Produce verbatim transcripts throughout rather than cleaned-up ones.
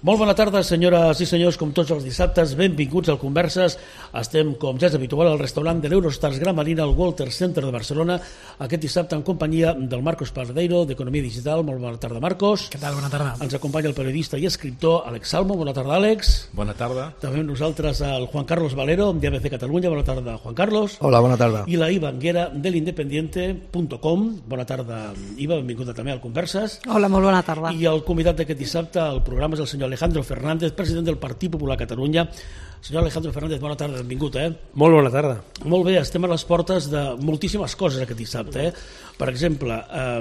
Molt bona tarda, senyores i senyors, com tots els dissabtes, benvinguts al Converses. Estem, com ja és habitual, al restaurant de l'Eurostars Gran Marina, al Walter Center de Barcelona, aquest dissabte en companyia del Marcos Pardeiro, d'Economia Digital. Molt bona tarda, Marcos. Què tal? Bona tarda. Ens acompanya el periodista i escriptor Àlex Salmo. Bona tarda, Àlex. Bona tarda. També amb nosaltres el Juan Carlos Valero, d'A B C Catalunya. Bona tarda, Juan Carlos. Hola, bona tarda. I la Iva Anguera, de l'independiente punt com. Bona tarda, Iva, benvinguda també al Converses. Hola, molt bona tarda. I el convidat d'aquest dissabte al programa és el senyor Alejandro Fernández, president del Partit Popular Catalunya. Senyor Alejandro Fernández, bona tarda, benvingut. Eh? Molt bona tarda. Molt bé, estem a les portes de moltíssimes coses aquest dissabte. Eh? Per exemple, eh,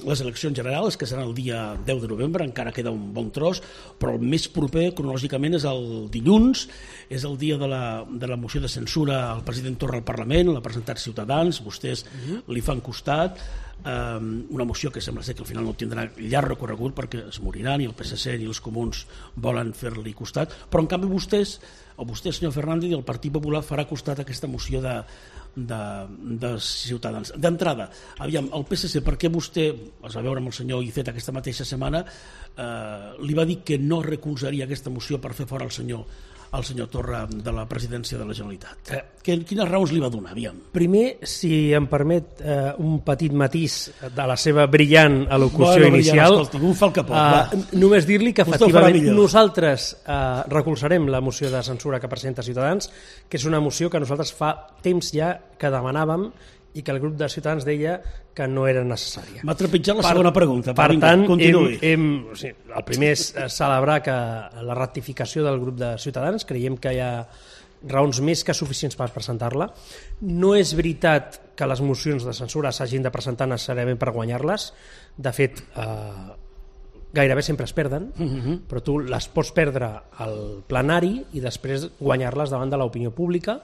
les eleccions generals, que seran el dia deu de novembre, encara queda un bon tros, però el més proper, cronològicament, és el dilluns, és el dia de la, de la moció de censura al president Torra al Parlament, l'ha presentat Ciutadans, vostès uh-huh. li fan costat, eh, una moció que sembla ser que al final no tindrà llarg recorregut perquè es moriran i el P S C ni els comuns volen fer-li costat, però en canvi vostès, o vostè, senyor Fernández, i el Partit Popular farà costat a aquesta moció de, de, de Ciutadans. D'entrada, aviam, el P S C, per què vostè, es va veure amb el senyor Iceta aquesta mateixa setmana, eh, li va dir que no recolzaria aquesta moció per fer fora el senyor el senyor Torra de la presidència de la Generalitat? Eh, quines raons li va donar, aviam? Primer, si em permet eh, un petit matís de la seva brillant al·locució bueno, inicial, escolti, un fa el que pot, eh, només dir-li que vostè efectivament nosaltres eh, recolzarem la moció de censura que presenta Ciutadans, que és una moció que nosaltres fa temps ja que demanàvem i que el grup de Ciutadans deia que no era necessària. M'ha trepitjat la per, segona pregunta. Per vinga, tant, hem, hem, o sigui, el primer és celebrar que la ratificació del grup de Ciutadans, creiem que hi ha raons més que suficients per presentar-la. No és veritat que les mocions de censura s'hagin de presentar necessàriament per guanyar-les. De fet, eh, gairebé sempre es perden, uh-huh. però tu les pots perdre al plenari i després guanyar-les davant de l'opinió pública.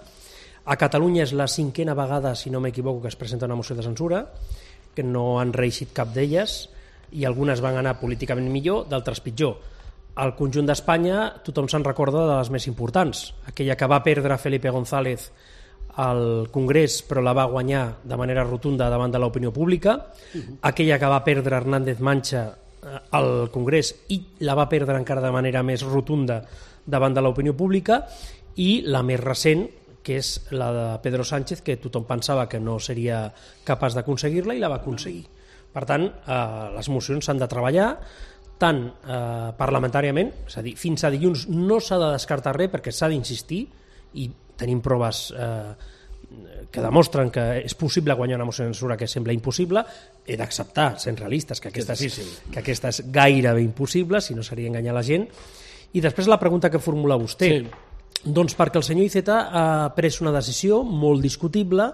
A Catalunya és la cinquena vegada, si no m'equivoco, que es presenta una moció de censura, que no han reeixit cap d'elles, i algunes van anar políticament millor, d'altres pitjor. Al conjunt d'Espanya tothom se'n recorda de les més importants, aquella que va perdre Felipe González al Congrés però la va guanyar de manera rotunda davant de l'opinió pública, uh-huh. aquella que va perdre Hernández Mancha al Congrés i la va perdre encara de manera més rotunda davant de l'opinió pública, i la més recent, que és la de Pedro Sánchez, que tothom pensava que no seria capaç d'aconseguir-la i la va aconseguir. Per tant, eh, les mocions s'han de treballar tant eh, parlamentàriament, és a dir, fins a dilluns no s'ha de descartar res perquè s'ha d'insistir, i tenim proves eh, que demostren que és possible guanyar una moció de censura que sembla impossible. He d'acceptar, sent realistes, que aquesta, és, que aquesta és gairebé impossible, si no seria enganyar la gent. I després la pregunta que formula vostè, sí. Doncs perquè el senyor Iceta ha pres una decisió molt discutible,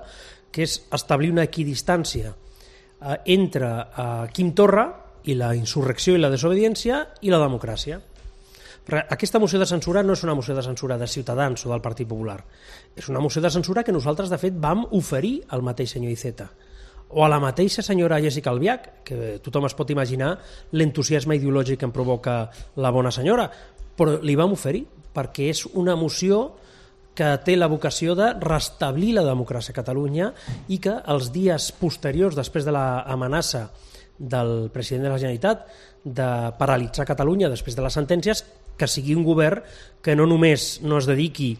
que és establir una equidistància eh, entre eh, Quim Torra i la insurrecció i la desobediència i la democràcia. Però aquesta moció de censura no és una moció de censura de Ciutadans o del Partit Popular, és una moció de censura que nosaltres de fet vam oferir al mateix senyor Iceta o a la mateixa senyora Jéssica Albiach, que tothom es pot imaginar l'entusiasme ideològic que em provoca la bona senyora, però li vam oferir perquè és una moció que té la vocació de restablir la democràcia a Catalunya i que els dies posteriors, després de l'amenaça del president de la Generalitat de paralitzar Catalunya després de les sentències, que sigui un govern que no només no es dediqui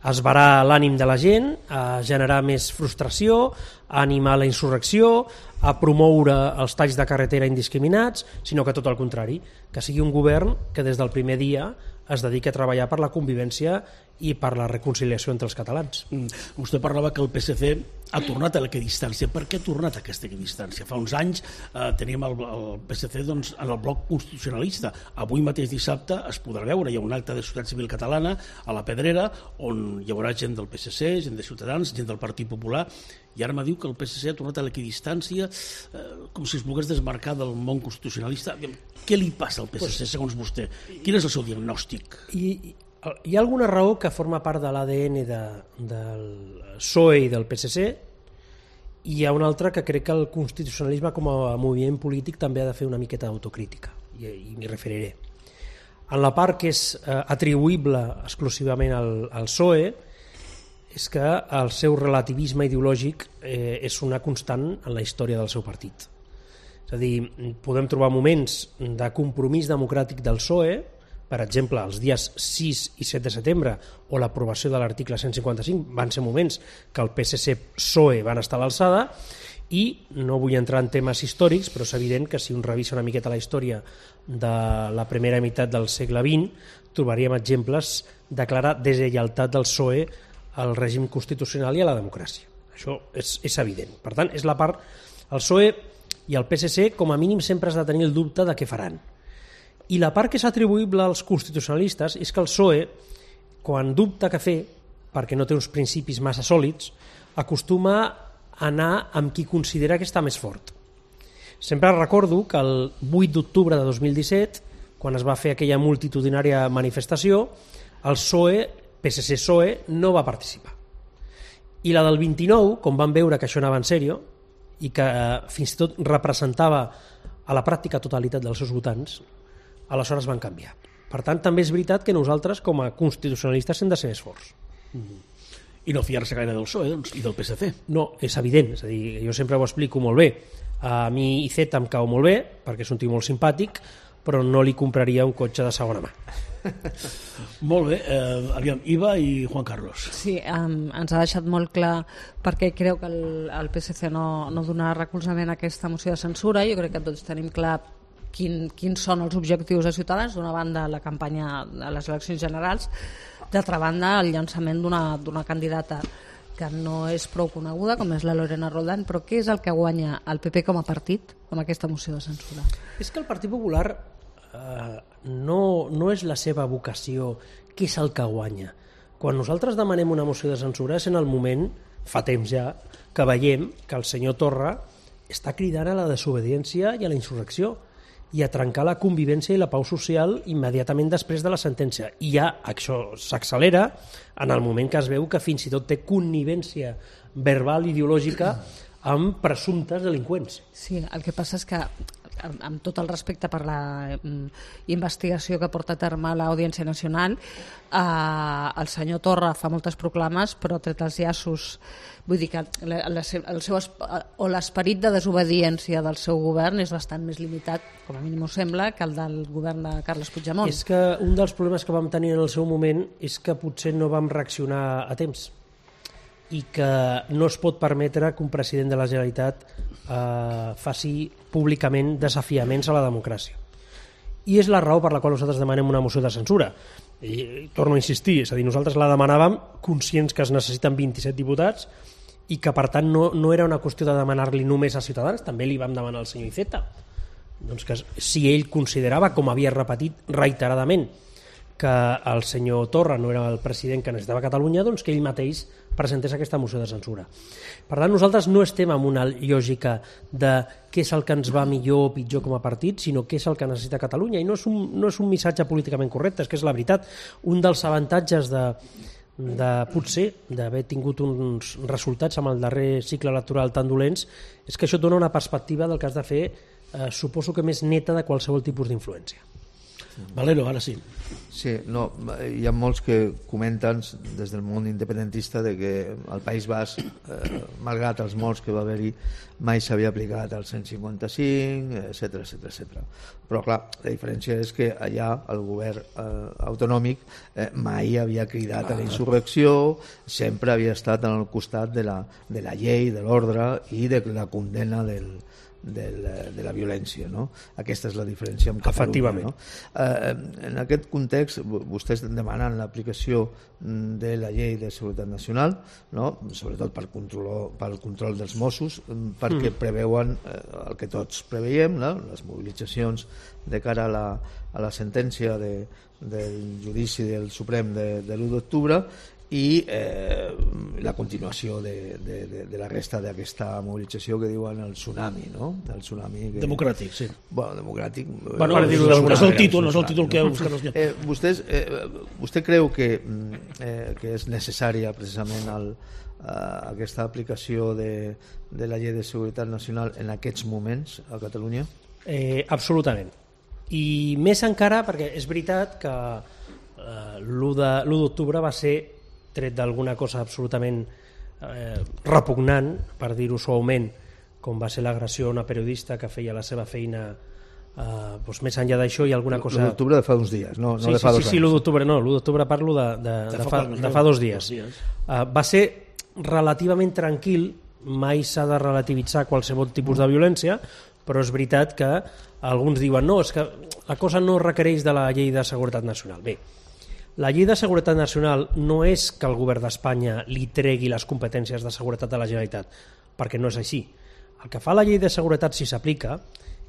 a esvarar l'ànim de la gent, a generar més frustració, a animar la insurrecció, a promoure els talls de carretera indiscriminats, sinó que tot el contrari, que sigui un govern que des del primer dia es dedica a treballar per la convivència i per la reconciliació entre els catalans. Mm. Vostè parlava que el P S C ha tornat a l'equidistància. Per què ha tornat a aquesta equidistància? Fa uns anys eh, teníem el, el P S C doncs, en el bloc constitucionalista. Avui mateix dissabte es podrà veure, hi ha un acte de Societat Civil Catalana a la Pedrera on hi haurà gent del P S C, gent de Ciutadans, gent del Partit Popular, i ara me diu que el P S C ha tornat a l'equidistància eh, com si es volgués desmarcar del món constitucionalista. Què li passa al P S C, segons vostè? Quin és el seu diagnòstic? I, hi ha alguna raó que forma part de l'A D N de, del P S O E i del P S C, i hi ha una altra que crec que el constitucionalisme com a moviment polític també ha de fer una miqueta d'autocrítica, i, i m'hi referiré. En la part que és eh, atribuïble exclusivament al, al P S O E, és que el seu relativisme ideològic eh, és una constant en la història del seu partit. És És a dir, podem trobar moments de compromís democràtic del P S O E, per exemple, els dies sis i set de setembre o l'aprovació de l'article cent cinquanta-cinc van ser moments que el P S C P S O E van estar a l'alçada, i no vull entrar en temes històrics, però és evident que si un revisa una miqueta la història de la primera meitat del segle vint, trobaríem exemples de clara deslleialtat del P S O E al règim constitucional i a la democràcia. Això és, és evident. Per tant, és la part... El P S O E i el P S C com a mínim sempre has de tenir el dubte de què faran. I la part que és atribuïble als constitucionalistes és que el P S O E, quan dubta què fer, perquè no té uns principis massa sòlids, acostuma a anar amb qui considera que està més fort. Sempre recordo que el vuit d'octubre de dos mil disset, quan es va fer aquella multitudinària manifestació, el P S O E, P S C-P S O E, no va participar. I la del vint-i-nou, com van veure que això anava en sèrio i que fins i tot representava a la pràctica totalitat dels seus votants, aleshores van canviar. Per tant, també és veritat que nosaltres, com a constitucionalistes, hem de ser més forts. Mm-hmm. I no fiar-se gaire del P S O E, doncs, i del P S C. No, és evident. És a dir, jo sempre ho explico molt bé. A mi I Z em cau molt bé, perquè és un tio molt simpàtic, però no li compraria un cotxe de segona mà. Molt bé. Eh, aviam, Iva i Juan Carlos. Sí, um, ens ha deixat molt clar perquè creu que el, el P S C no, no donarà recolzament a aquesta moció de censura. Jo crec que tots tenim clar quin, quins són els objectius de Ciutadans. D'una banda, la campanya de les eleccions generals, d'altra banda, el llançament d'una candidata que no és prou coneguda, com és la Lorena Roldán, però què és el que guanya el P P com a partit amb aquesta moció de censura? És que el Partit Popular eh, no, no és la seva vocació, què és el que guanya. Quan nosaltres demanem una moció de censura és en el moment, fa temps ja, que veiem que el senyor Torra està cridant a la desobediència i a la insurrecció i a trencar la convivència i la pau social immediatament després de la sentència. I ja això s'accelera en el moment que es veu que fins i tot té connivència verbal ideològica amb presumptes delinqüents. Sí, el que passa és que, amb tot el respecte per la investigació que porta a terme l'Audiència Nacional, eh, el senyor Torra fa moltes proclames, però tret els llaços, vull dir que la, la, el seu, o l'esperit de desobediència del seu govern és bastant més limitat, com a mínim ho sembla, que el del govern de Carles Puigdemont. És que un dels problemes que vam tenir en el seu moment és que potser no vam reaccionar a temps i que no es pot permetre que un president de la Generalitat eh, faci públicament desafiaments a la democràcia. I és la raó per la qual nosaltres demanem una moció de censura. I, i torno a insistir, és a dir, nosaltres la demanàvem conscients que es necessiten vint-i-set diputats i que per tant no, no era una qüestió de demanar-li només a Ciutadans, també li vam demanar al senyor Iceta. Doncs que si ell considerava, com havia repetit reiteradament, que el senyor Torra no era el president que necessitava Catalunya, doncs que ell mateix presentés aquesta moció de censura. Per tant, nosaltres no estem en una lògica de què és el que ens va millor o pitjor com a partit, sinó què és el que necessita Catalunya. I no és un, no és un missatge políticament correcte, és que és la veritat. Un dels avantatges de, de potser d'haver tingut uns resultats amb el darrer cicle electoral tan dolents és que això dona una perspectiva del que has de fer, eh, suposo que més neta de qualsevol tipus d'influència. Valero, ara sí. Sí, no, hi ha molts que comenten des del món independentista de que al País Basc, eh, malgrat els molts que va haver-hi, mai s'havia aplicat el cent cinquanta-cinc, etcètera, etcètera, etcètera. Però clar, la diferència és que allà el govern eh, autonòmic eh, mai havia cridat a la insurrecció, sempre havia estat al costat de la, de la llei, de l'ordre i de la condemna del De la, de la violència, no? Aquesta és la diferència amb Catalunya, no? Eh, en aquest context vostès demanen l'aplicació de la llei de seguretat nacional, no? Sobretot per control, pel control dels Mossos, perquè mm. preveuen eh, el que tots preveiem, no? Les mobilitzacions de cara a la, a la sentència de, del judici del Suprem de, de l'u d'octubre i eh, la continuació de, de, de, de la resta d'aquesta mobilització que diuen el tsunami, no? El tsunami que... Democràtic, sí. Bueno, democràtic... Bueno, no, no, no és el títol, no és el títol que... Eh, vostès, eh, vostè creu que, eh, que és necessària precisament el, eh, aquesta aplicació de, de la llei de seguretat nacional en aquests moments a Catalunya? Eh, absolutament. I més encara perquè és veritat que eh, l'u d'octubre va ser, tret d'alguna cosa absolutament eh, repugnant, per dir-ho suaument, com va ser l'agressió a una periodista que feia la seva feina. Uh, doncs més enllà d'això hi ha alguna cosa... l'u d'octubre de fa uns dies, no, no sí, de fa sí, dos sí, anys. Sí, l'u d'octubre no, l'u d'octubre parlo de, de, de, de, fa, de fa dos dies. Uh, va ser relativament tranquil, mai s'ha de relativitzar qualsevol tipus de violència, però és veritat que alguns diuen no, és que la cosa no requereix de la llei de seguretat nacional. Bé, la llei de seguretat nacional no és que el govern d'Espanya li tregui les competències de seguretat a la Generalitat, perquè no és així. El que fa la llei de seguretat, si s'aplica,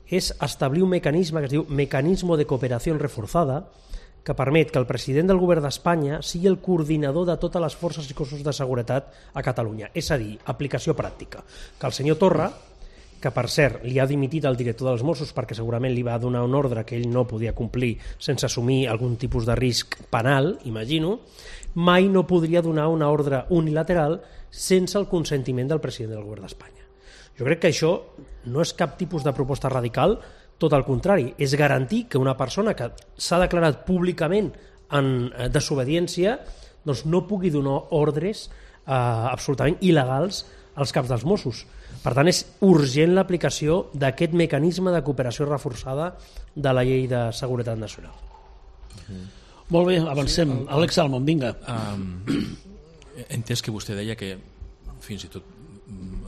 és establir un mecanisme que es diu Mecanismo de Cooperació Reforzada, que permet que el president del govern d'Espanya sigui el coordinador de totes les forces i cossos de seguretat a Catalunya. És a dir, aplicació pràctica. Que el senyor Torra, que per cert li ha dimitit el director dels Mossos perquè segurament li va donar un ordre que ell no podia complir sense assumir algun tipus de risc penal, imagino, mai no podria donar una ordre unilateral sense el consentiment del president del govern d'Espanya. Jo crec que això no és cap tipus de proposta radical, tot al contrari, és garantir que una persona que s'ha declarat públicament en desobediència doncs no pugui donar ordres eh, absolutament il·legals als caps dels Mossos. Per tant, és urgent l'aplicació d'aquest mecanisme de cooperació reforçada de la llei de seguretat nacional. Mm. Molt bé, avancem. Sí, el, Àlex Salmon, vinga. Um, he entès que vostè deia que fins i tot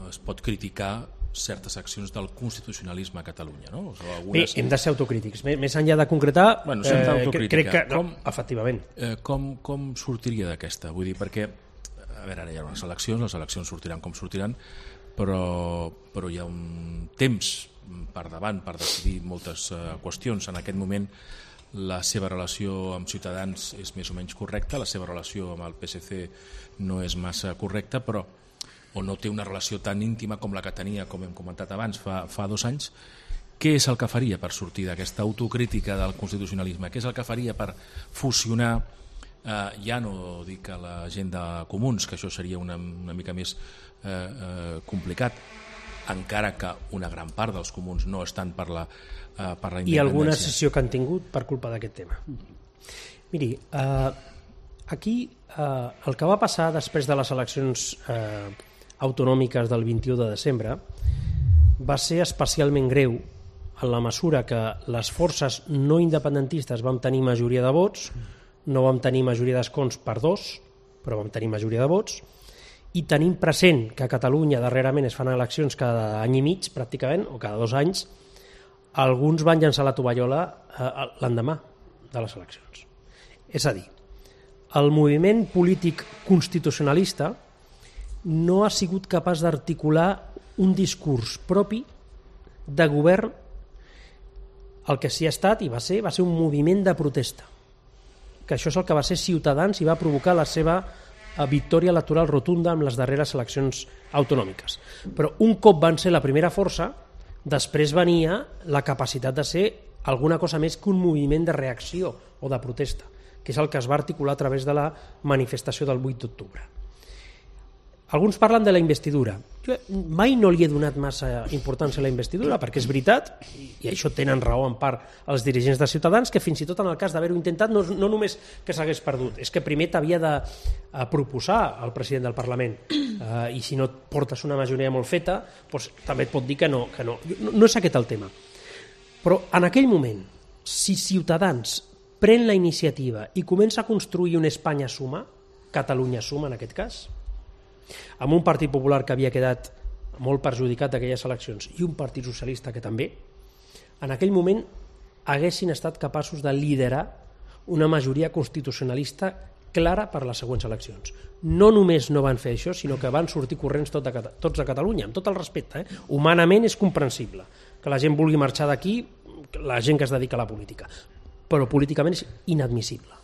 es pot criticar certes accions del constitucionalisme a Catalunya, no? O sigui, algunes... Bé, hem de ser autocrítics. Més enllà de concretar, bueno, eh, crec que... Com, no, efectivament. Eh, com, com sortiria d'aquesta? Vull dir, perquè, a veure, ara hi ha unes eleccions, les eleccions sortiran com sortiran, però, però hi ha un temps per davant per decidir moltes uh, qüestions. En aquest moment la seva relació amb Ciutadans és més o menys correcta, la seva relació amb el P S C no és massa correcta, però o no té una relació tan íntima com la que tenia, com hem comentat abans, fa, fa dos anys. Què és el que faria per sortir d'aquesta autocrítica del constitucionalisme? Què és el que faria per fusionar, eh, ja no dic a la gent de comuns, que això seria una, una mica més eh, eh, complicat, encara que una gran part dels comuns no estan per la, eh, per la independència. I alguna sessió que han tingut per culpa d'aquest tema. Miri, eh, aquí eh, el que va passar després de les eleccions eh, autonòmiques del vint-i-u de desembre va ser especialment greu en la mesura que les forces no independentistes vam tenir majoria de vots, no vam tenir majoria d'escons per dos, però vam tenir majoria de vots, i tenim present que a Catalunya darrerament es fan eleccions cada any i mig pràcticament, o cada dos anys, alguns van llançar la tovallola l'endemà de les eleccions. És a dir, el moviment polític constitucionalista no ha sigut capaç d'articular un discurs propi de govern. El que sí ha estat i va ser, va ser un moviment de protesta, que això és el que va ser Ciutadans i va provocar la seva victòria electoral rotunda en les darreres eleccions autonòmiques. Però un cop van ser la primera força, després venia la capacitat de ser alguna cosa més que un moviment de reacció o de protesta, que és el que es va articular a través de la manifestació del vuit d'octubre. Alguns parlen de la investidura. Jo mai no li he donat massa importància a la investidura, perquè és veritat, i això tenen raó en part els dirigents de Ciutadans, que fins i tot en el cas d'haver-ho intentat no, no només que s'hagués perdut, és que primer t'havia de proposar al president del Parlament, uh, i si no portes una majoria molt feta, doncs, també et pot dir que no, que no. no. No és aquest el tema. Però en aquell moment, si Ciutadans pren la iniciativa i comença a construir una Espanya suma, Catalunya suma en aquest cas, amb un Partit Popular que havia quedat molt perjudicat d'aquelles eleccions i un Partit Socialista que també, en aquell moment haguessin estat capaços de liderar una majoria constitucionalista clara per les següents eleccions. No només no van fer això, sinó que van sortir corrents tot de, tots de Catalunya, amb tot el respecte. Eh? Humanament és comprensible que la gent vulgui marxar d'aquí, la gent que es dedica a la política, però políticament és inadmissible.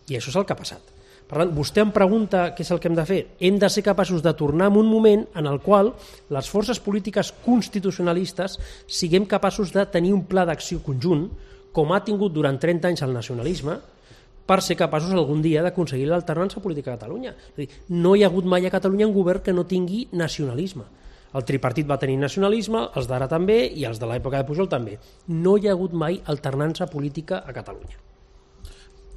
I això és el que ha passat. Per tant, vostè em pregunta què és el que hem de fer. Hem de ser capaços de tornar a un moment en el qual les forces polítiques constitucionalistes siguem capaços de tenir un pla d'acció conjunt, com ha tingut durant trenta anys el nacionalisme, per ser capaços algun dia d'aconseguir l'alternança política a Catalunya. És a dir, no hi ha hagut mai a Catalunya un govern que no tingui nacionalisme. El tripartit va tenir nacionalisme, els d'ara també, i els de l'època de Pujol també. No hi ha hagut mai alternança política a Catalunya.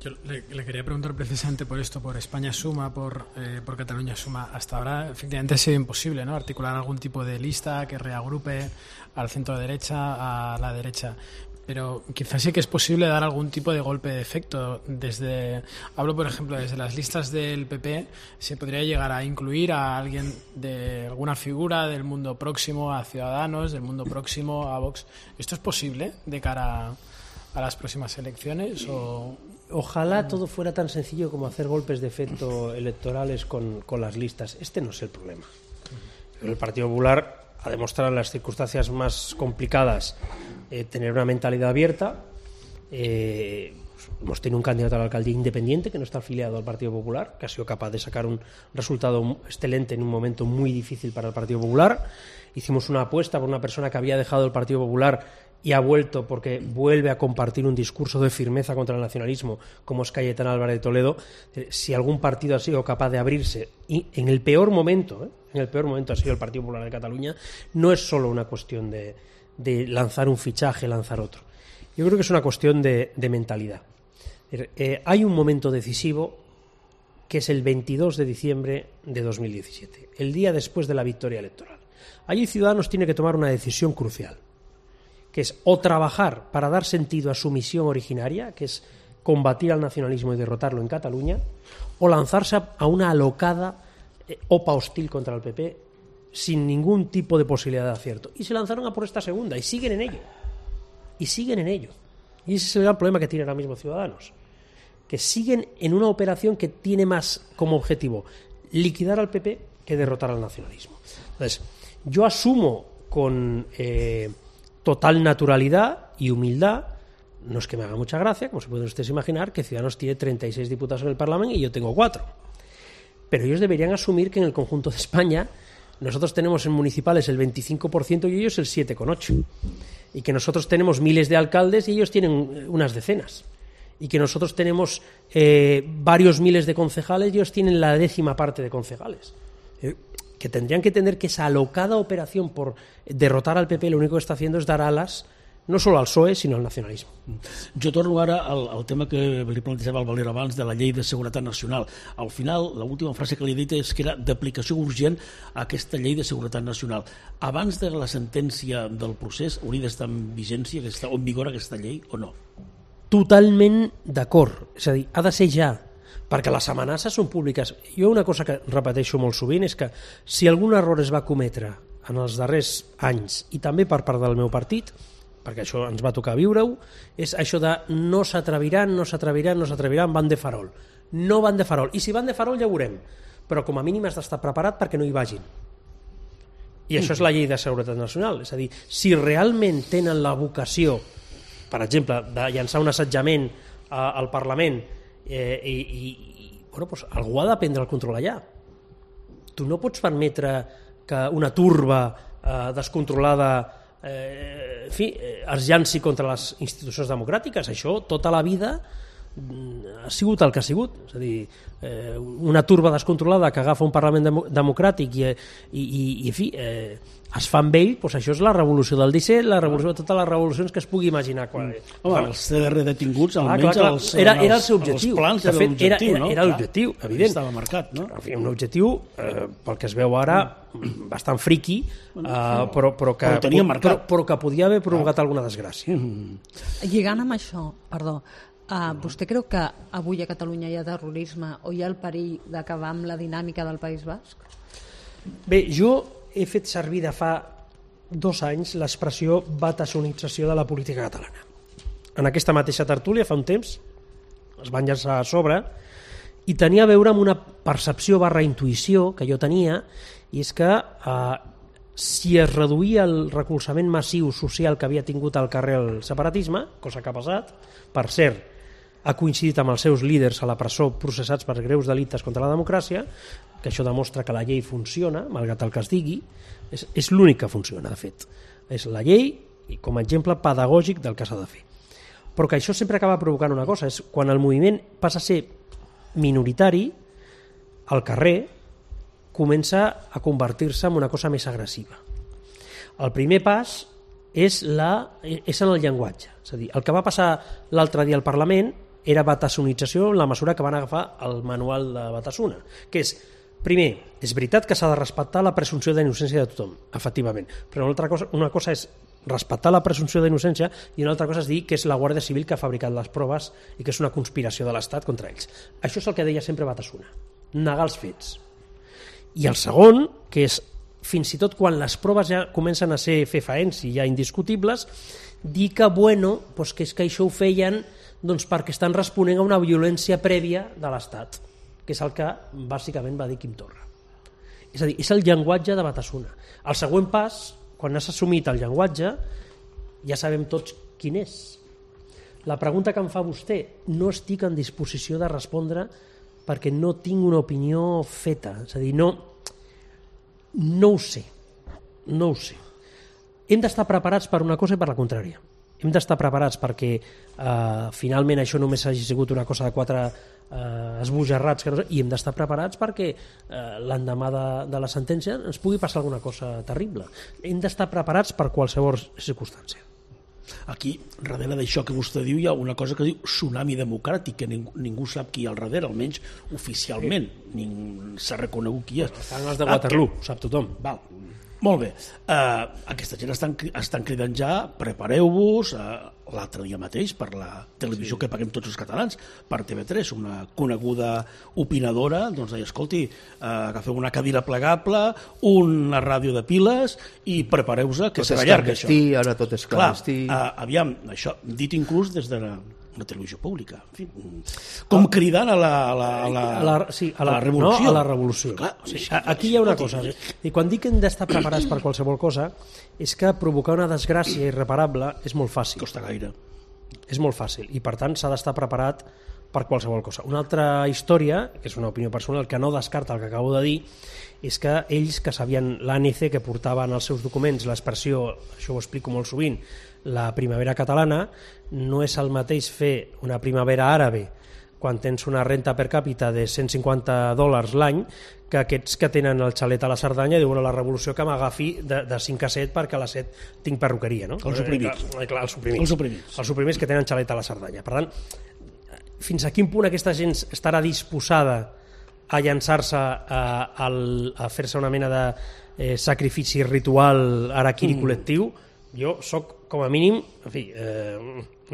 Yo le, le quería preguntar precisamente por esto, por España Suma, por, eh, por Cataluña Suma. Hasta ahora, efectivamente, ha sido imposible, ¿no?, articular algún tipo de lista que reagrupe al centro derecha, a la derecha. Pero quizás sí que es posible dar algún tipo de golpe de efecto. Desde, hablo, por ejemplo, desde las listas del P P, se podría llegar a incluir a alguien de alguna figura del mundo próximo a Ciudadanos, del mundo próximo a Vox. ¿Esto es posible de cara a, a las próximas elecciones? O... Ojalá todo fuera tan sencillo como hacer golpes de efecto electorales con, con las listas. Este no es el problema. El Partido Popular ha demostrado en las circunstancias más complicadas eh, tener una mentalidad abierta. Eh, hemos tenido un candidato a la alcaldía independiente que no está afiliado al Partido Popular, que ha sido capaz de sacar un resultado excelente en un momento muy difícil para el Partido Popular. Hicimos una apuesta por una persona que había dejado el Partido Popular y ha vuelto porque vuelve a compartir un discurso de firmeza contra el nacionalismo, como es Cayetana Álvarez de Toledo. Si algún partido ha sido capaz de abrirse, y en el peor momento, ¿eh? en el peor momento ha sido el Partido Popular de Cataluña, no es solo una cuestión de, de lanzar un fichaje, lanzar otro. Yo creo que es una cuestión de, de mentalidad. Eh, hay un momento decisivo que es el veintidós de diciembre de dos mil diecisiete, el día después de la victoria electoral. Allí Ciudadanos tiene que tomar una decisión crucial, que es o trabajar para dar sentido a su misión originaria, que es combatir al nacionalismo y derrotarlo en Cataluña, o lanzarse a una alocada eh, opa hostil contra el P P sin ningún tipo de posibilidad de acierto. Y se lanzaron a por esta segunda, y siguen en ello. Y siguen en ello. Y ese es el gran problema que tiene ahora mismo Ciudadanos, que siguen en una operación que tiene más como objetivo liquidar al P P que derrotar al nacionalismo. Entonces, yo asumo con eh, total naturalidad y humildad, no es que me haga mucha gracia, como se pueden ustedes imaginar, que Ciudadanos tiene treinta y seis diputados en el Parlamento y yo tengo cuatro. Pero ellos deberían asumir que en el conjunto de España nosotros tenemos en municipales el veinticinco por ciento y ellos el siete coma ocho por ciento. Y que nosotros tenemos miles de alcaldes y ellos tienen unas decenas. Y que nosotros tenemos eh, varios miles de concejales y ellos tienen la décima parte de concejales. Eh, que tendrían que entender que esa alocada operación por derrotar al P P lo único que está haciendo es dar alas no solo al P S O E, sinó al nacionalisme. Jo torno ara al, al tema que li plantejava el Valero abans de la llei de seguretat nacional. Al final, l'última frase que li he dit és que era d'aplicació urgent a aquesta llei de seguretat nacional. Abans de la sentència del procés, hauria d'estar en vigència, aquesta, o en vigor aquesta llei, o no? Totalment d'acord. És a dir, ha de ser ja, perquè les amenaces són públiques. Jo una cosa que repeteixo molt sovint és que si algun error es va cometre en els darrers anys, i també per part del meu partit, perquè això ens va tocar viure-ho, és això de no s'atreviran, no s'atreviran, no s'atreviran, van de farol. No van de farol. I si van de farol ja ho veurem. Però com a mínim has d'estar preparat perquè no hi vagin. I això és la llei de seguretat nacional. És a dir, si realment tenen la vocació, per exemple, de llançar un assetjament al Parlament eh, i, i bueno, doncs algú ha de prendre el control allà. Tu no pots permetre que una turba eh, descontrolada Eh, en fi, eh, es llanci contra les institucions democràtiques. Això tota la vida ha sigut el que ha sigut, és a dir, eh, una turba descontrolada que agafa un Parlament dem democràtic i, i, i, i en fi, eh, es fa amb ell, doncs això és la revolució del disset, la revolució de totes les revolucions que es pugui imaginar. Quan... Mm. Home, els C D R detinguts, ah, almenys clar, clar. Els, era, era el els, seu objectiu. Els plans de fet, era, era, no? era l'objectiu, evident. Estava marcat, no? En fi, un objectiu, eh, pel que es veu ara, bastant friqui, eh, però, però, que, però, però, però que podia haver provocat ah. alguna desgràcia. Mm. Lligant amb això, perdó, Uh, vostè creu que avui a Catalunya hi ha terrorisme o hi ha el perill d'acabar amb la dinàmica del País Basc? Bé, jo he fet servir de fa dos anys l'expressió batassonització de la política catalana. En aquesta mateixa tertúlia, fa un temps, es van llançar a sobre i tenia a veure amb una percepció barra intuïció que jo tenia, i és que eh, si es reduïa el recolzament massiu social que havia tingut al carrer el separatisme, cosa que ha passat, per cert, ha coincidit amb els seus líders a la presó processats per greus delictes contra la democràcia, que això demostra que la llei funciona, malgrat el que es digui, és, és l'únic que funciona, de fet. És la llei i com a exemple pedagògic del que s'ha de fer. Però que això sempre acaba provocant una cosa, és quan el moviment passa a ser minoritari, al carrer comença a convertir-se en una cosa més agressiva. El primer pas és, la, és en el llenguatge. És a dir, el que va passar l'altre dia al Parlament era batassonització en la mesura que van agafar el manual de Batasuna, que és, primer, és veritat que s'ha de respectar la presumpció d'innocència de tothom, efectivament, però una altra cosa, una cosa és respectar la presumpció d'innocència i una altra cosa és dir que és la Guàrdia Civil que ha fabricat les proves i que és una conspiració de l'Estat contra ells. Això és el que deia sempre Batasuna, negar els fets. I el segon, que és fins i tot quan les proves ja comencen a ser fefaents i ja indiscutibles, dir que, bueno, doncs que és que això ho feien doncs, perquè estan responent a una violència prèvia de l'Estat, que és el que bàsicament va dir Quim Torra. És a dir, és el llenguatge de Batasuna. El següent pas, quan has assumit el llenguatge, ja sabem tots quin és. La pregunta que em fa vostè, no estic en disposició de respondre perquè no tinc una opinió feta, és a dir, no, no ho sé, no ho sé. Hem d'estar preparats per una cosa i per la contrària. Hem d'estar preparats perquè eh, finalment això només hagi sigut una cosa de quatre eh, esbojarrats, que no sé, i hem d'estar preparats perquè eh, l'endemà de, de la sentència ens pugui passar alguna cosa terrible. Hem d'estar preparats per qualsevol circumstància. Aquí, darrere d'això que vostè diu, hi ha una cosa que diu tsunami democràtic, que ningú, ningú sap qui hi ha al darrere, almenys oficialment. Ningú s'ha reconegut qui és. Estan els de Waterloo, ho sap tothom. Val. Molt bé. Uh, aquesta gent estan, estan cridant ja, prepareu-vos, uh, l'altre dia mateix, per la televisió sí. que paguem tots els catalans, per T V tres, una coneguda opinadora, doncs deia, escolti, uh, agafeu una cadira plegable, una ràdio de piles i prepareu-vos que serà llarg, això. Ara tot és clandestí. Clar, uh, aviam, això, dit inclús des de la una televisió pública, en fi, com cridant a la, a la, a la, a la, sí, a la, a la revolució. No, a la revolució. Clar, sí, aquí hi ha una cosa, i quan dic que hem d'estar preparats per qualsevol cosa, és que provocar una desgràcia irreparable és molt fàcil. Costa gaire. És molt fàcil, i per tant s'ha d'estar preparat per qualsevol cosa. Una altra història, que és una opinió personal, que no descarta el que acabo de dir, és que ells que sabien l'A N C, que portaven als seus documents l'expressió, això ho explico molt sovint, la primavera catalana, no és el mateix fer una primavera àrabe quan tens una renta per càpita de cent cinquanta dòlars l'any que aquests que tenen el xalet a la Cerdanya diuen a la revolució que m'agafi de, de cinc a set perquè a les set tinc perruqueria, no? Els suprimits. Eh, clar, els suprimits. Els suprimits. Els suprimits que tenen xalet a la Cerdanya. Per tant, fins a quin punt aquesta gent estarà disposada a llançar-se a, a, a fer-se una mena de eh, sacrifici ritual araquiri mm. col·lectiu? Jo sóc, com a mínim, en fi, eh,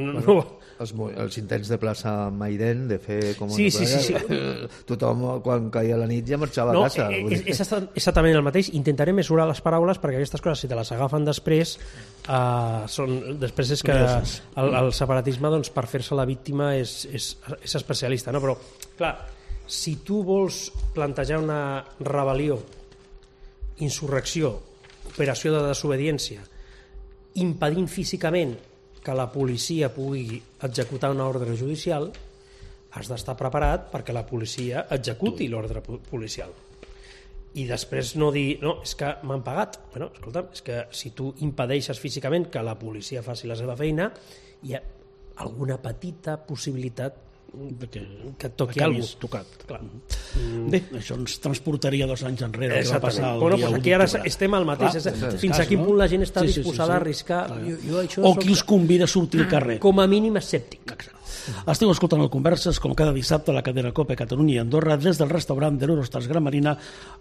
no, no. Els, els intents de plaça Maiden, de fer com sí, una sí, sí, sí. tothom quan caia la nit ja marxava no, a casa. És, és exactament el mateix. Intentaré mesurar les paraules perquè aquestes coses, si te les agafen després, eh, són, després és que el, el separatisme, doncs, per fer-se la víctima és, és, és especialista, no? Però, clar, si tu vols plantejar una rebel·lió, insurrecció, operació de desobediència, impedint físicament que la policia pugui executar una ordre judicial, has d'estar preparat perquè la policia executi l'ordre policial. I després no dir, no, és que m'han pagat. Bueno, escolta'm, és que si tu impedeixes físicament que la policia faci la seva feina, hi ha alguna petita possibilitat que, que et toqui que alguna cosa. Tocat. Clar. Mm. Bé, això ens transportaria dos anys enrere, que va passar el bueno, dia pues u aquí ara d'octubre. estem al mateix. Clar, és, fins cas, a quin no? punt la gent està sí, sí, disposada sí, sí. a arriscar. Jo, jo això o soc... qui els convida a sortir al carrer. Com a mínim escèptic. Exacte. Esteu escoltant el Converses, com cada dissabte, a la cadena COPE Catalunya i Andorra, des del restaurant de l'Eurostars Gran Marina,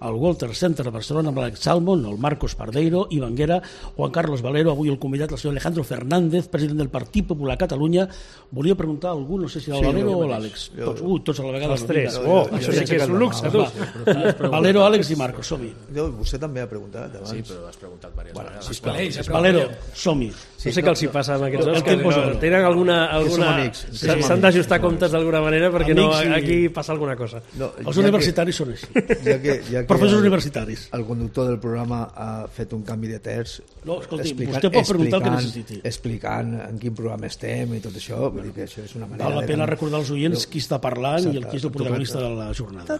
al Walter Center de Barcelona, amb l'Alex Salmon, el Marcos Pardeiro, Ivan Guerra, Juan Carlos Valero, avui el convidat, el senyor Alejandro Fernández, president del Partit Popular Catalunya. Volia preguntar a algú, no sé si el sí, Valero o l'Àlex. Tots, uh, tots a la vegada. Els tres. Oh, això sí que és un luxe, tu. Valero, Àlex i Marcos, som-hi. Vostè també ha preguntat abans. Sí, però has preguntat diverses bueno, vegades. Sisplau, sisplau. Valero, som-hi. Sí, no sé què els hi passa amb aquests dos, que no, tenen alguna... alguna... S'han d'ajustar comptes d'alguna manera perquè no, aquí passa alguna cosa. No, els universitaris són així. Ja que, ja que professors el, universitaris. El conductor del programa ha fet un canvi de terç. No, escolti, vostè pot preguntar el que necessiti. Explicant en quin programa estem i tot això, vull dir que això és una manera... Val la pena recordar als oients qui està parlant exacte, i el qui és el protagonista de la jornada.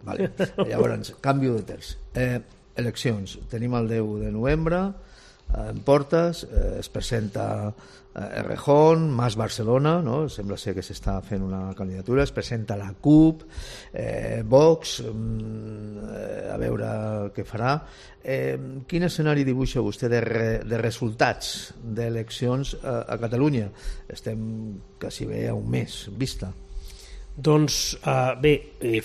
Vale. Llavors, canvi de terç. Eh, eleccions. Tenim el deu de novembre, en portes, eh, es presenta eh, Errejón, Mas Barcelona, no? Sembla ser que s'està fent una candidatura, es presenta la CUP, eh, Vox, eh, a veure què farà. Eh, quin escenari dibuixa vostè de, re, de resultats d'eleccions a, a Catalunya? Estem quasi bé a un mes vista. Doncs uh, bé,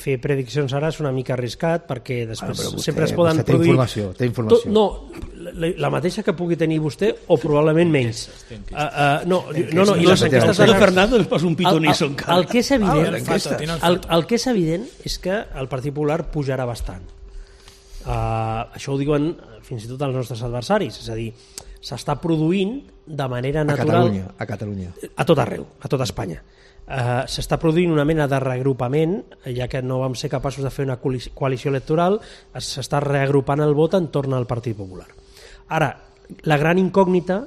fer prediccions ara és una mica arriscat perquè després bueno, vostè, sempre es poden vostè té produir... Informació, té informació. To, no, la, la mateixa que pugui tenir vostè o probablement menys. Uh, uh, no, no, no, i les enquestes... Pedro Fernández posa un pitonizo encara. El que és evident, Ah, el, el que és evident és que el Partit Popular pujarà bastant. Uh, això ho diuen fins i tot els nostres adversaris, és a dir, s'està produint de manera natural... A Catalunya, a Catalunya. A tot arreu, a tot Espanya. Uh, s'està produint una mena de reagrupament, ja que no vam ser capaços de fer una coalició electoral, s'està reagrupant el vot entorn al Partit Popular. Ara, la gran incògnita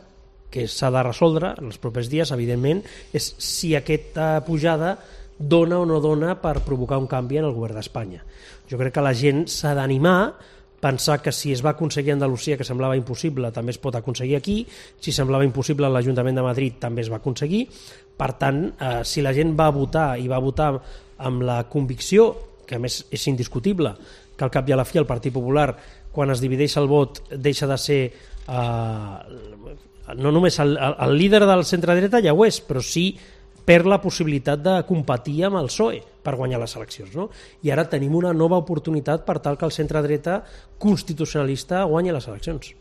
que s'ha de resoldre en els propers dies, evidentment, és si aquesta pujada dona o no dona per provocar un canvi en el govern d'Espanya. Jo crec que la gent s'ha d'animar, pensar que si es va aconseguir a Andalusia, que semblava impossible, també es pot aconseguir aquí, si semblava impossible a l'Ajuntament de Madrid també es va aconseguir. Per tant, eh, si la gent va votar i va votar amb la convicció, que a més és indiscutible, que al cap i a la fi el Partit Popular, quan es divideix el vot, deixa de ser eh, no només el, el líder del centre-dreta, ja ho és, però sí perd la possibilitat de competir amb el P S O E per guanyar les eleccions, no? I ara tenim una nova oportunitat per tal que el centre-dreta constitucionalista guanyi les eleccions.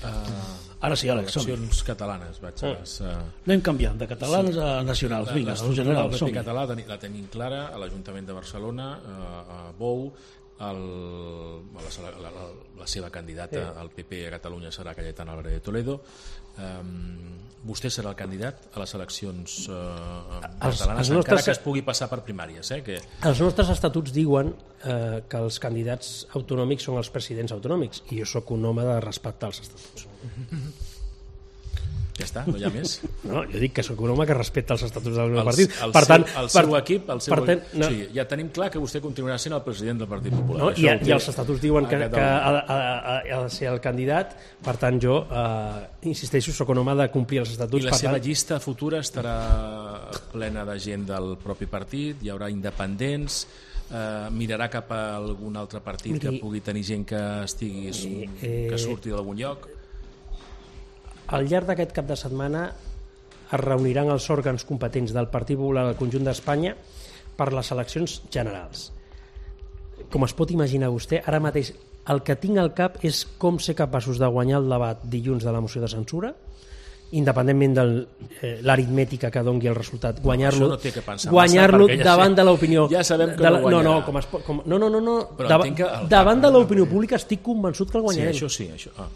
Uh, Ara sí, Àlex, som-hi. Eleccions catalanes, vaig a les... Uh... Anem canviant, de catalans sí. a nacionals. Vinga, els generals, som-hi. som-hi. Català la tenim clara a l'Ajuntament de Barcelona, a Bou, el, la, la, la, la seva candidata sí. al P P a Catalunya serà Cayetana Álvarez de Toledo. Um, vostè serà el candidat a les eleccions uh, catalanes, els, els nostres... encara que es pugui passar per primàries. Eh, que... Els nostres estatuts diuen eh, que els candidats autonòmics són els presidents autonòmics, i jo sóc un home de respectar els estatuts. Ja està, no hi ha més? No, jo dic que sóc un home que respecta els estatuts del meu els, partit. El per seu, tant, el per, seu equip, el seu... Per tant, no. Sí, ja tenim clar que vostè continuarà sent el president del Partit Popular. No, i, I els estatuts diuen que, que ha, ha, ha de ser el candidat, per tant jo eh, insisteixo, sóc un home de complir els estatuts. I la per seva tant... llista futura estarà plena de gent del propi partit, hi haurà independents, eh, mirarà cap a algun altre partit Miri, que pugui tenir gent que estigui eh, que surti d'algun lloc. Al llarg d'aquest cap de setmana es reuniran els òrgans competents del Partit Popular del conjunt d'Espanya per les eleccions generals. Com es pot imaginar vostè, ara mateix el que tinc al cap és com ser capaços de guanyar el debat dilluns de la moció de censura, independentment de eh, l'aritmètica que doni el resultat, guanyar-lo no guanyar ja davant sé. de l'opinió. Ja sabem que la, no guanyarà. No, no, com es, com, no, no, no, no. Davant, davant de l'opinió pública estic convençut que el guanyarem. Sí, això sí, això... Ah.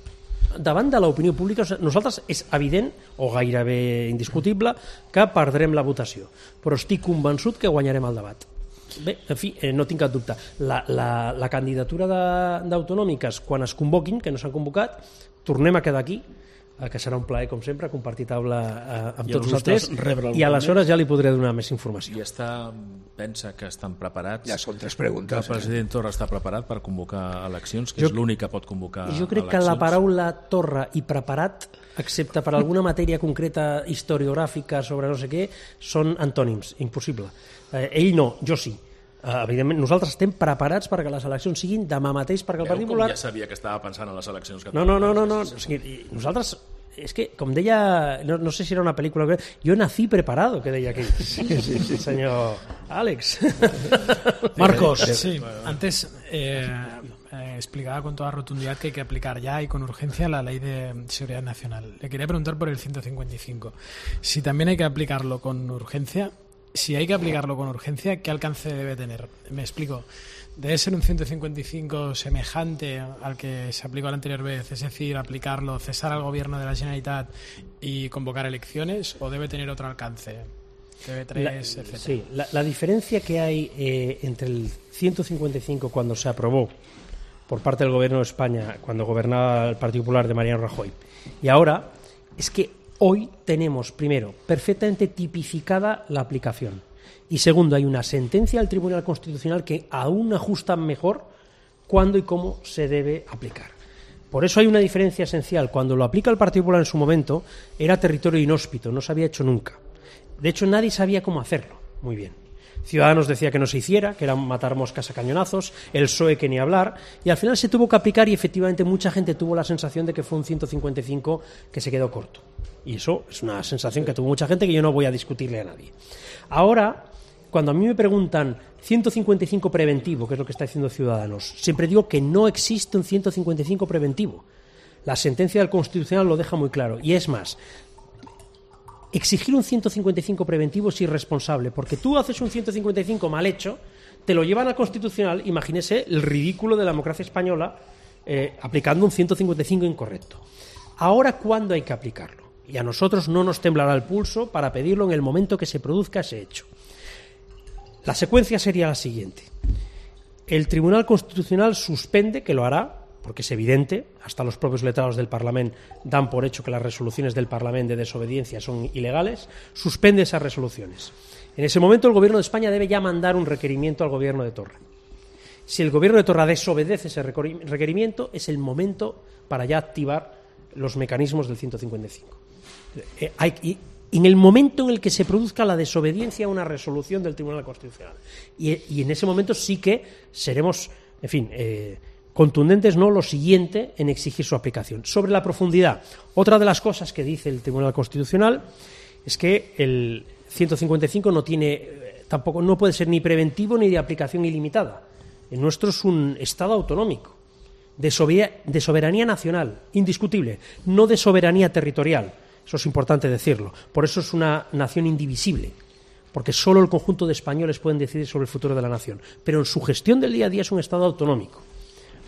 Davant de l'opinió pública, nosaltres és evident, o gairebé indiscutible, que perdrem la votació, però estic convençut que guanyarem el debat. Bé, en fi, eh, no tinc cap dubte. La, la, la candidatura d'autonòmiques, quan es convoquin, que no s'han convocat, tornem a quedar aquí, eh, que serà un plaer, com sempre, compartir taula eh, amb I tots vosaltres, i aleshores ja li podré donar més informació. I està, pensa que estan preparats? Ja són tres preguntes. Que el president Torra està preparat per convocar eleccions, que jo, és l'únic que pot convocar eleccions? Jo crec eleccions. que la paraula Torra i preparat, excepte per alguna matèria concreta historiogràfica sobre no sé què, són antònims, impossible. Eh, ell no, jo sí. Uh, evidentment, nosaltres estem preparats perquè les eleccions siguin demà mateix, perquè el Partit Popular... Ja sabia que estava pensant en les eleccions catalanes. No, no, no, no, no. O sigui, nosaltres, és que, com deia, no, no sé si era una pel·lícula, jo nací preparado, que deia aquell sí, sí, sí. senyor Àlex. Marcos. Sí, antes eh, eh, explicaba con toda rotundidad que hay que aplicar ya y con urgencia la ley de seguridad nacional. Le quería preguntar por el ciento cincuenta y cinco. Si también hay que aplicarlo con urgencia, si hay que aplicarlo con urgencia, ¿qué alcance debe tener? Me explico. ¿Debe ser un ciento cincuenta y cinco semejante al que se aplicó la anterior vez? Es decir, aplicarlo, cesar al gobierno de la Generalitat y convocar elecciones, ¿o debe tener otro alcance? T V tres, la, etcétera. Sí, la, la diferencia que hay eh, entre el ciento cincuenta y cinco cuando se aprobó por parte del Gobierno de España, cuando gobernaba el Partido Popular de Mariano Rajoy, y ahora, es que hoy tenemos, primero, perfectamente tipificada la aplicación. Y segundo, hay una sentencia del Tribunal Constitucional que aún ajusta mejor cuándo y cómo se debe aplicar. Por eso hay una diferencia esencial. Cuando lo aplica el Partido Popular en su momento, era territorio inhóspito, no se había hecho nunca. De hecho, nadie sabía cómo hacerlo muy bien. Ciudadanos decía que no se hiciera, que eran matar moscas a cañonazos, el P S O E que ni hablar, y al final se tuvo que aplicar y efectivamente mucha gente tuvo la sensación de que fue un ciento cincuenta y cinco que se quedó corto. Y eso es una sensación que tuvo mucha gente que yo no voy a discutirle a nadie. Ahora, cuando a mí me preguntan ciento cincuenta y cinco preventivo, que es lo que está diciendo Ciudadanos, siempre digo que no existe un ciento cincuenta y cinco preventivo. La sentencia del Constitucional lo deja muy claro. Y es más, exigir un ciento cincuenta y cinco preventivo es irresponsable, porque tú haces un ciento cincuenta y cinco mal hecho, te lo llevan al Constitucional, imagínese el ridículo de la democracia española eh, aplicando un ciento cincuenta y cinco incorrecto. Ahora, ¿cuándo hay que aplicarlo? Y a nosotros no nos temblará el pulso para pedirlo en el momento que se produzca ese hecho. La secuencia sería la siguiente. El Tribunal Constitucional suspende, que lo hará, porque es evidente, hasta los propios letrados del Parlamento dan por hecho que las resoluciones del Parlamento de desobediencia son ilegales, suspende esas resoluciones. En ese momento el Gobierno de España debe ya mandar un requerimiento al Gobierno de Torra. Si el Gobierno de Torra desobedece ese requerimiento, es el momento para ya activar los mecanismos del ciento cincuenta y cinco. Eh, hay, y, en el momento en el que se produzca la desobediencia a una resolución del Tribunal Constitucional. Y, y en ese momento sí que seremos, en fin, eh, contundentes, no lo siguiente en exigir su aplicación. Sobre la profundidad, otra de las cosas que dice el Tribunal Constitucional es que el ciento cincuenta y cinco no tiene, eh, tampoco no puede ser ni preventivo ni de aplicación ilimitada. El nuestro es un Estado autonómico, de, sober- de soberanía nacional, indiscutible, no de soberanía territorial. Eso es importante decirlo. Por eso es una nación indivisible, porque solo el conjunto de españoles pueden decidir sobre el futuro de la nación. Pero en su gestión del día a día es un Estado autonómico.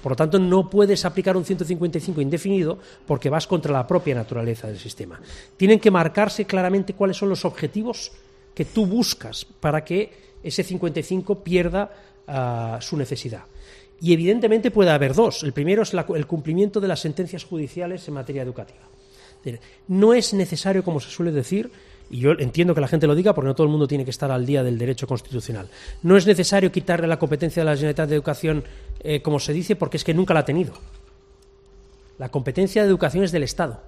Por lo tanto, no puedes aplicar un ciento cincuenta y cinco indefinido porque vas contra la propia naturaleza del sistema. Tienen que marcarse claramente cuáles son los objetivos que tú buscas para que ese cincuenta y cinco pierda uh, su necesidad. Y evidentemente puede haber dos. El primero es la, el cumplimiento de las sentencias judiciales en materia educativa. No es necesario, como se suele decir, y yo entiendo que la gente lo diga porque no todo el mundo tiene que estar al día del derecho constitucional, no es necesario quitarle la competencia de la Generalitat de Educación, eh, como se dice, porque es que nunca la ha tenido. La competencia de educación es del Estado.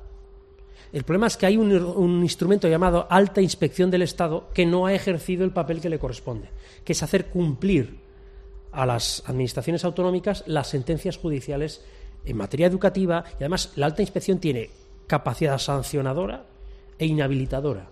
El problema es que hay un, un instrumento llamado Alta Inspección del Estado que no ha ejercido el papel que le corresponde, que es hacer cumplir a las administraciones autonómicas las sentencias judiciales en materia educativa, y además la Alta Inspección tiene capacidad sancionadora e inhabilitadora.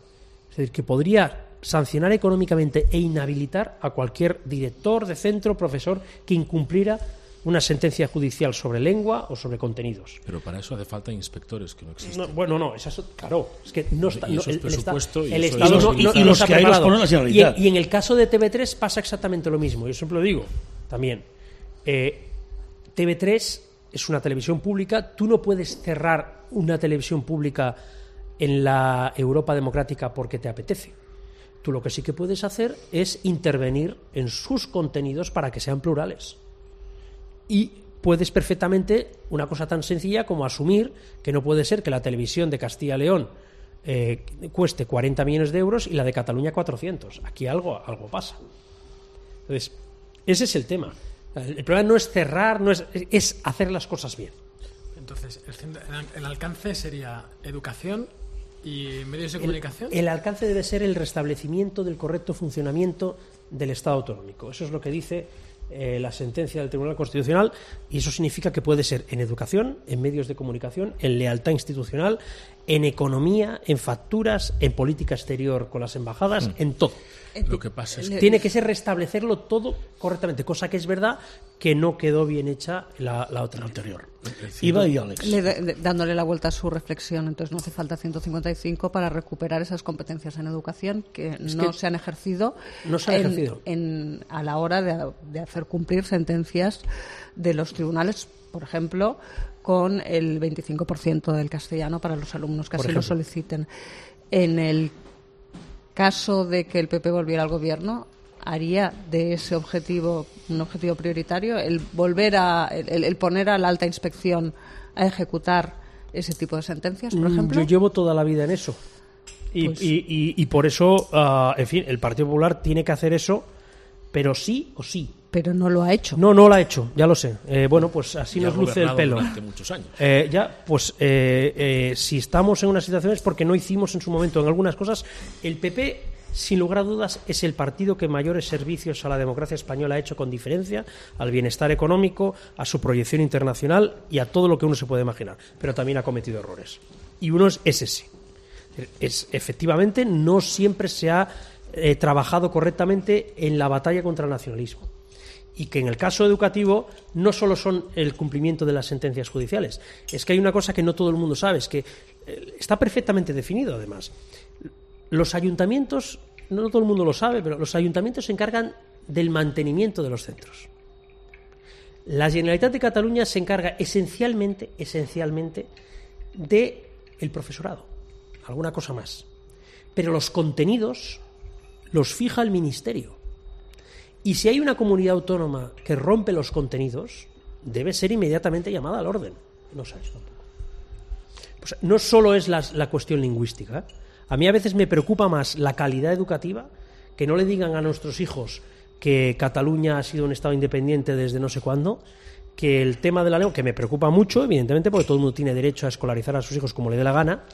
Es decir, que podría sancionar económicamente e inhabilitar a cualquier director de centro, profesor, que incumpliera una sentencia judicial sobre lengua o sobre contenidos. Pero para eso hace falta inspectores, que no existen. No, bueno, no, es eso, claro, es que no está... Y eso no, es presupuesto el, y el eso Estado es no, no, y no los está que hay los preparado. pone la Generalitat. Y, en, y en el caso de T V tres pasa exactamente lo mismo. Yo siempre lo digo también. Eh, T V tres es una televisión pública. Tú no puedes cerrar una televisión pública en la Europa democrática porque te apetece. Tú lo que sí que puedes hacer es intervenir en sus contenidos para que sean plurales. Y puedes perfectamente una cosa tan sencilla como asumir que no puede ser que la televisión de Castilla y León eh, cueste cuarenta millones de euros y la de Cataluña cuatrocientos. Aquí algo, algo pasa. Entonces, ese es el tema. El problema no es cerrar, no es, es hacer las cosas bien. Entonces, el, el alcance sería educación y medios de comunicación. El, el alcance debe ser el restablecimiento del correcto funcionamiento del Estado autonómico. Eso es lo que dice eh, la sentencia del Tribunal Constitucional, y eso significa que puede ser en educación, en medios de comunicación, en lealtad institucional, en economía, en facturas, en política exterior con las embajadas, mm. en todo. Lo que pasa es que tiene que ser restablecerlo todo correctamente, cosa que es verdad que no quedó bien hecha la, la otra anterior. Iba y Alex. Le, de, dándole la vuelta a su reflexión, entonces no hace falta ciento cincuenta y cinco para recuperar esas competencias en educación que es no que se han ejercido, no se han en, ejercido. En, a la hora de, de hacer cumplir sentencias de los tribunales, por ejemplo, con el veinticinco por ciento del castellano para los alumnos que así lo soliciten. En el caso de que el P P volviera al gobierno, haría de ese objetivo un objetivo prioritario, el volver a el, el poner a la alta inspección a ejecutar ese tipo de sentencias, por ejemplo. Yo llevo toda la vida en eso y, pues... y, y, y por eso, uh, en fin, el Partido Popular tiene que hacer eso, pero sí o sí. pero no lo ha hecho. No, no lo ha hecho, ya lo sé. Eh, bueno, pues así Ya nos ha luce el gobernado pelo. durante muchos años. Eh, ya, pues eh, eh, si estamos en una situación es porque no hicimos en su momento en algunas cosas. El P P, sin lugar a dudas, es el partido que mayores servicios a la democracia española ha hecho con diferencia, al bienestar económico, a su proyección internacional y a todo lo que uno se puede imaginar. Pero también ha cometido errores. Y uno es ese. Es, efectivamente, no siempre se ha eh, trabajado correctamente en la batalla contra el nacionalismo. Y que en el caso educativo no solo son el cumplimiento de las sentencias judiciales, es que hay una cosa que no todo el mundo sabe, es que eh, está perfectamente definido además. Los ayuntamientos, no todo el mundo lo sabe, pero los ayuntamientos se encargan del mantenimiento de los centros. La Generalitat de Cataluña se encarga esencialmente, esencialmente del profesorado, alguna cosa más. Pero los contenidos los fija el Ministerio. Y si hay una comunidad autónoma que rompe los contenidos, debe ser inmediatamente llamada al orden. No sabes tampoco. Pues no solo es la, la cuestión lingüística. A mí a veces me preocupa más la calidad educativa, que no le digan a nuestros hijos que Cataluña ha sido un Estado independiente desde no sé cuándo, que el tema de la lengua, que me preocupa mucho, evidentemente, porque todo el mundo tiene derecho a escolarizar a sus hijos como le dé la gana,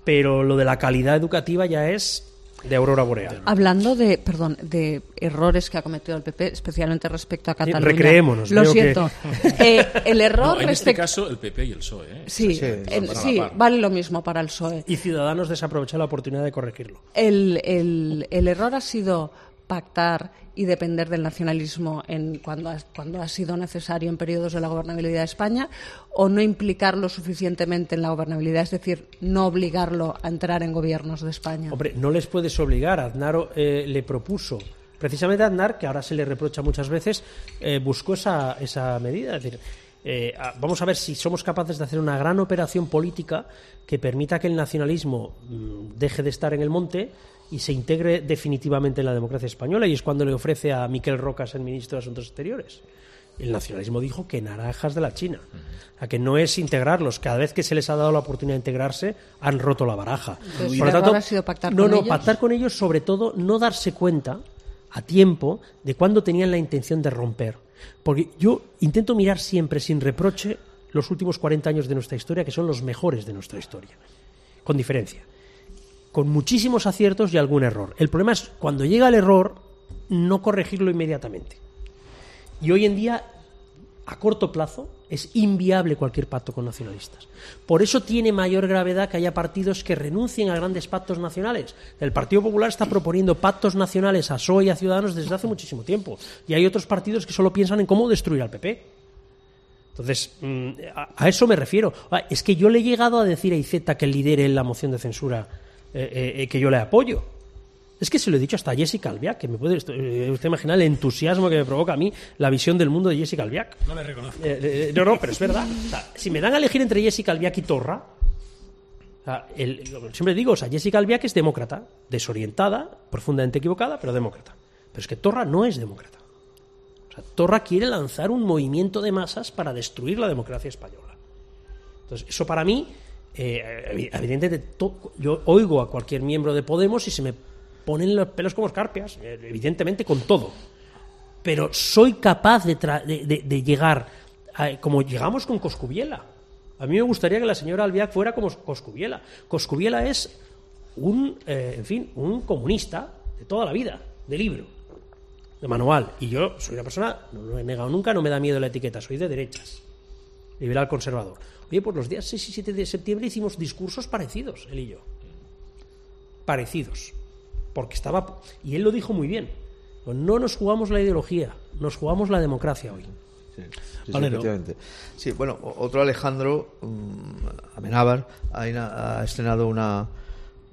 pero lo de la calidad educativa ya es de aurora boreal. Hablando de, perdón, de errores que ha cometido el P P, especialmente respecto a Cataluña. Recreémonos. Lo veo siento. que- Eh, el error No, en este respecto... caso, el P P y el P S O E. ¿eh? Sí, Sí, en- van a la sí, par. vale lo mismo para el P S O E. Y Ciudadanos desaprovechar la oportunidad de corregirlo. El, el, el error ha sido pactar y depender del nacionalismo en cuando, ha, cuando ha sido necesario en periodos de la gobernabilidad de España, o no implicarlo suficientemente en la gobernabilidad, es decir, no obligarlo a entrar en gobiernos de España. Hombre, no les puedes obligar. Aznar eh, le propuso, precisamente Aznar, que ahora se le reprocha muchas veces, eh, buscó esa, esa medida. Es decir, eh, a- vamos a ver si somos capaces de hacer una gran operación política que permita que el nacionalismo mm, deje de estar en el monte y se integre definitivamente en la democracia española, y es cuando le ofrece a Miquel Roca ser ministro de Asuntos Exteriores. El nacionalismo dijo que naranjas de la China, a que no es integrarlos. Cada vez que se les ha dado la oportunidad de integrarse, han roto la baraja. Entonces, ¿el error ha sido pactar no, con no, ellos? pactar con ellos, sobre todo, no darse cuenta a tiempo de cuándo tenían la intención de romper. Porque yo intento mirar siempre sin reproche los últimos cuarenta años de nuestra historia, que son los mejores de nuestra historia, con diferencia, con muchísimos aciertos y algún error. El problema es cuando llega el error, no corregirlo inmediatamente. Y hoy en día, a corto plazo, es inviable cualquier pacto con nacionalistas. Por eso tiene mayor gravedad que haya partidos que renuncien a grandes pactos nacionales. El Partido Popular está proponiendo pactos nacionales a P S O E y a Ciudadanos desde hace muchísimo tiempo. Y hay otros partidos que solo piensan en cómo destruir al P P. Entonces, mm, a, a eso me refiero. Ah, Es que yo le he llegado a decir a Iceta que lidere la moción de censura, eh, eh, que yo le apoyo. Es que se lo he dicho hasta a Jessica Albiac, que me puede eh, usted imaginar el entusiasmo que me provoca a mí la visión del mundo de Jessica Albiac. No le reconozco. Eh, eh, no, no, pero es verdad. O sea, si me dan a elegir entre Jessica Albiac y Torra, o sea, el, siempre digo, o sea, Jessica Albiac es demócrata, desorientada, profundamente equivocada, pero demócrata. Pero es que Torra no es demócrata. O sea, Torra quiere lanzar un movimiento de masas para destruir la democracia española. Entonces, eso para mí, eh, evidentemente, to, yo oigo a cualquier miembro de Podemos y se me ponen los pelos como escarpias, evidentemente con todo. Pero soy capaz de, tra de, de, de llegar, a, como llegamos con Coscubiela. A mí me gustaría que la señora Albiac fuera como Coscubiela. Coscubiela es un, eh, en fin, un comunista de toda la vida, de libro, de manual. Y yo soy una persona, no lo he negado nunca, no me da miedo la etiqueta, soy de derechas, liberal conservador. Oye, pues los días seis y siete de septiembre hicimos discursos parecidos, él y yo. Parecidos. Porque estaba... Y él lo dijo muy bien. No nos jugamos la ideología, nos jugamos la democracia hoy. Sí, sí, Valero. sí, efectivamente. Sí, bueno, otro Alejandro, um, Amenábar, ha, ha estrenado una,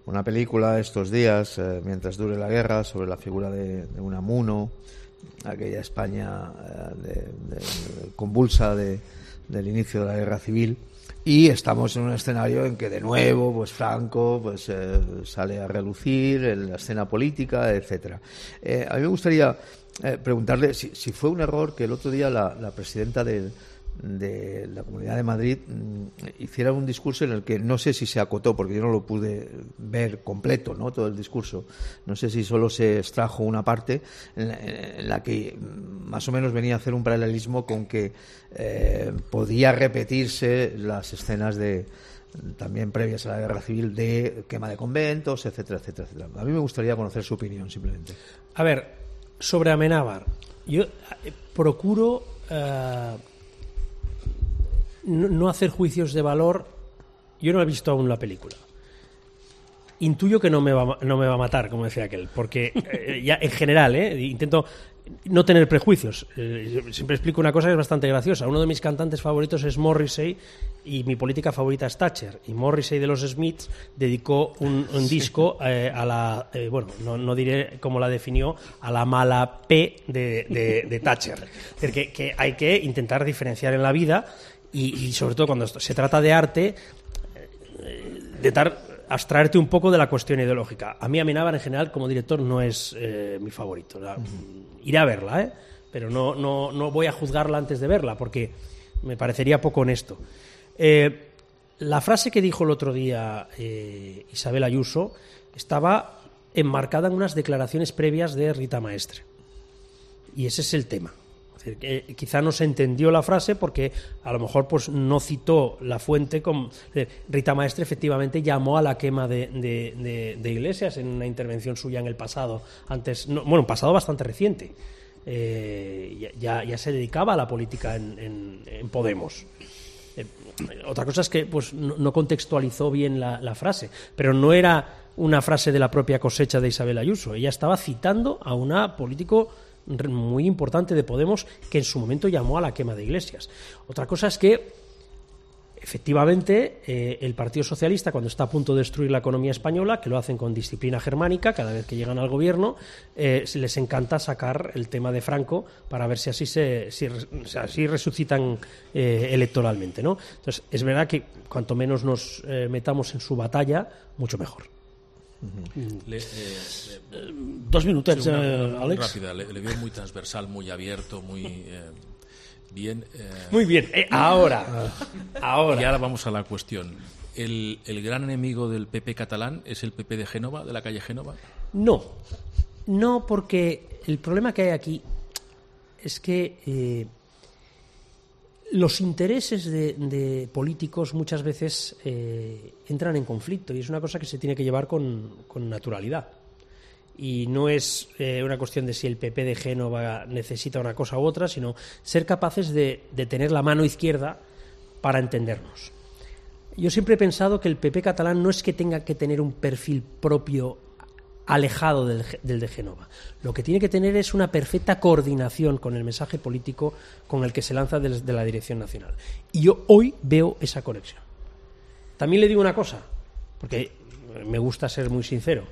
una película estos días, eh, mientras dure la guerra, sobre la figura de, de Unamuno, aquella España eh, de, de, convulsa de, del inicio de la guerra civil. Y estamos en un escenario en que de nuevo pues Franco pues eh, sale a relucir en la escena política, etcétera. Eh, a mí me gustaría eh, preguntarle si, si fue un error que el otro día la, la presidenta del, de la Comunidad de Madrid hiciera un discurso en el que no sé si se acotó, porque yo no lo pude ver completo, ¿no? Todo el discurso, no sé si solo se extrajo una parte en la, en la que más o menos venía a hacer un paralelismo con que eh, podía repetirse las escenas de también previas a la guerra civil de quema de conventos, etcétera, etcétera, etcétera. A mí me gustaría conocer su opinión, simplemente. A ver, sobre Amenábar, yo procuro eh, no, no hacer juicios de valor. Yo no he visto aún la película. Intuyo que no me va, no me va a matar, como decía aquel, porque eh, ya en general, eh, intento no tener prejuicios. Eh, siempre explico una cosa que es bastante graciosa. Uno de mis cantantes favoritos es Morrissey y mi política favorita es Thatcher. Y Morrissey de los Smiths dedicó un, un disco eh, a la, eh, bueno, no, no diré cómo la definió, a la mala P de, de, de Thatcher. Es decir, que, que hay que intentar diferenciar en la vida y, y sobre todo cuando se trata de arte, eh, intentar abstraerte un poco de la cuestión ideológica. A mí Amenábar en general como director no es eh, mi favorito. La, uh-huh. Iré a verla, ¿eh? Pero no, no, no voy a juzgarla antes de verla porque me parecería poco honesto. Eh, la frase que dijo el otro día eh, Isabel Ayuso estaba enmarcada en unas declaraciones previas de Rita Maestre. Y ese es el tema. Es decir, que quizá no se entendió la frase porque a lo mejor pues, no citó la fuente. Con... Rita Maestre efectivamente llamó a la quema de, de, de, de iglesias en una intervención suya en el pasado, antes, no, bueno, un pasado bastante reciente. Eh, ya, ya se dedicaba a la política en, en, en Podemos. Eh, otra cosa es que pues, no, no contextualizó bien la, la frase, pero no era una frase de la propia cosecha de Isabel Ayuso. Ella estaba citando a una político muy importante de Podemos que en su momento llamó a la quema de iglesias. Otra cosa es que efectivamente eh, el Partido Socialista, cuando está a punto de destruir la economía española, que lo hacen con disciplina germánica cada vez que llegan al gobierno, eh, les encanta sacar el tema de Franco para ver si así se si, si así resucitan eh, electoralmente, ¿no? Entonces es verdad que cuanto menos nos eh, metamos en su batalla, mucho mejor. Uh-huh. Le, eh, eh, Dos minutets, sí, una, eh, una, Àlex. Rápida, le, le veo muy transversal, muy abierto, muy eh, bien. Eh, muy bien, eh, ahora, ahora. Y ahora vamos a la cuestión. ¿El, ¿El gran enemigo del P P catalán es el P P de Génova, de la calle Génova? No, no, porque el problema que hay aquí es que eh, los intereses de, de políticos muchas veces eh, entran en conflicto y es una cosa que se tiene que llevar con, con naturalidad. Y no es eh, una cuestión de si el P P de Génova necesita una cosa u otra, sino ser capaces de, de tener la mano izquierda para entendernos. Yo siempre he pensado que el P P catalán no es que tenga que tener un perfil propio alejado del, del de Génova. Lo que tiene que tener es una perfecta coordinación con el mensaje político con el que se lanza desde la dirección nacional. Y yo hoy veo esa conexión. También le digo una cosa, porque me gusta ser muy sincero.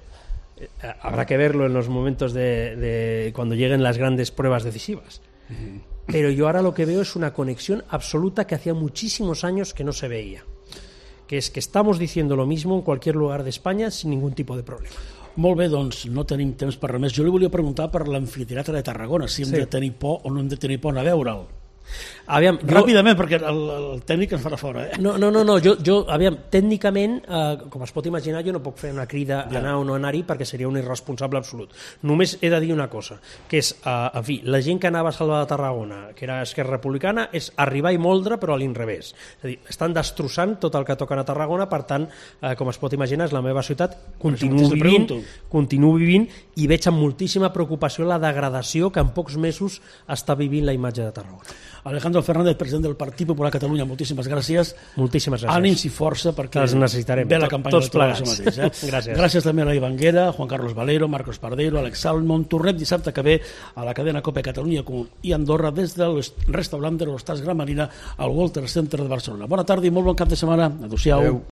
Eh, habrá que verlo en los momentos de, de cuando lleguen las grandes pruebas decisivas. Uh-huh. Pero yo ahora lo que veo es una conexión absoluta que hacía muchísimos años que no se veía. Que es que estamos diciendo lo mismo en cualquier lugar de España sin ningún tipo de problema. Molt bé, doncs no tenim temps per res més. Jo li volia preguntar per l'amfiteatre de Tarragona, si hem sí. de tenir por o no hem de tenir por a veure'l. Aviam, jo... Ràpidament, perquè el, el tècnic ens farà fora. Eh? No, no, no, no jo, jo aviam, tècnicament, eh, com es pot imaginar, jo no puc fer una crida a anar o no anar-hi perquè seria un irresponsable absolut. Només he de dir una cosa, que és, eh, en fi, la gent que anava a Salva de Tarragona, que era Esquerra Republicana, és arribar i moldre, però a l'inrevés. És a dir, estan destrossant tot el que toquen a Tarragona, per tant, eh, com es pot imaginar, és la meva ciutat, continuo vivint, continuo vivint i veig amb moltíssima preocupació la degradació que en pocs mesos està vivint la imatge de Tarragona. Alejandro Fernández, president del Partit Popular Catalunya, moltíssimes gràcies. Moltíssimes gràcies. Ànims i força perquè les necessitarem. ve la campanya tots plegats. Mateix, eh? Gràcies. Gràcies també a la Ivanguera, Juan Carlos Valero, Marcos Pardero, Alex Salmon. Tornem dissabte que ve a la cadena Cope Catalunya i Andorra des del restaurant de l'Hostal Gran Marina al Walter Center de Barcelona. Bona tarda i molt bon cap de setmana. Adéu-siau. Adéu.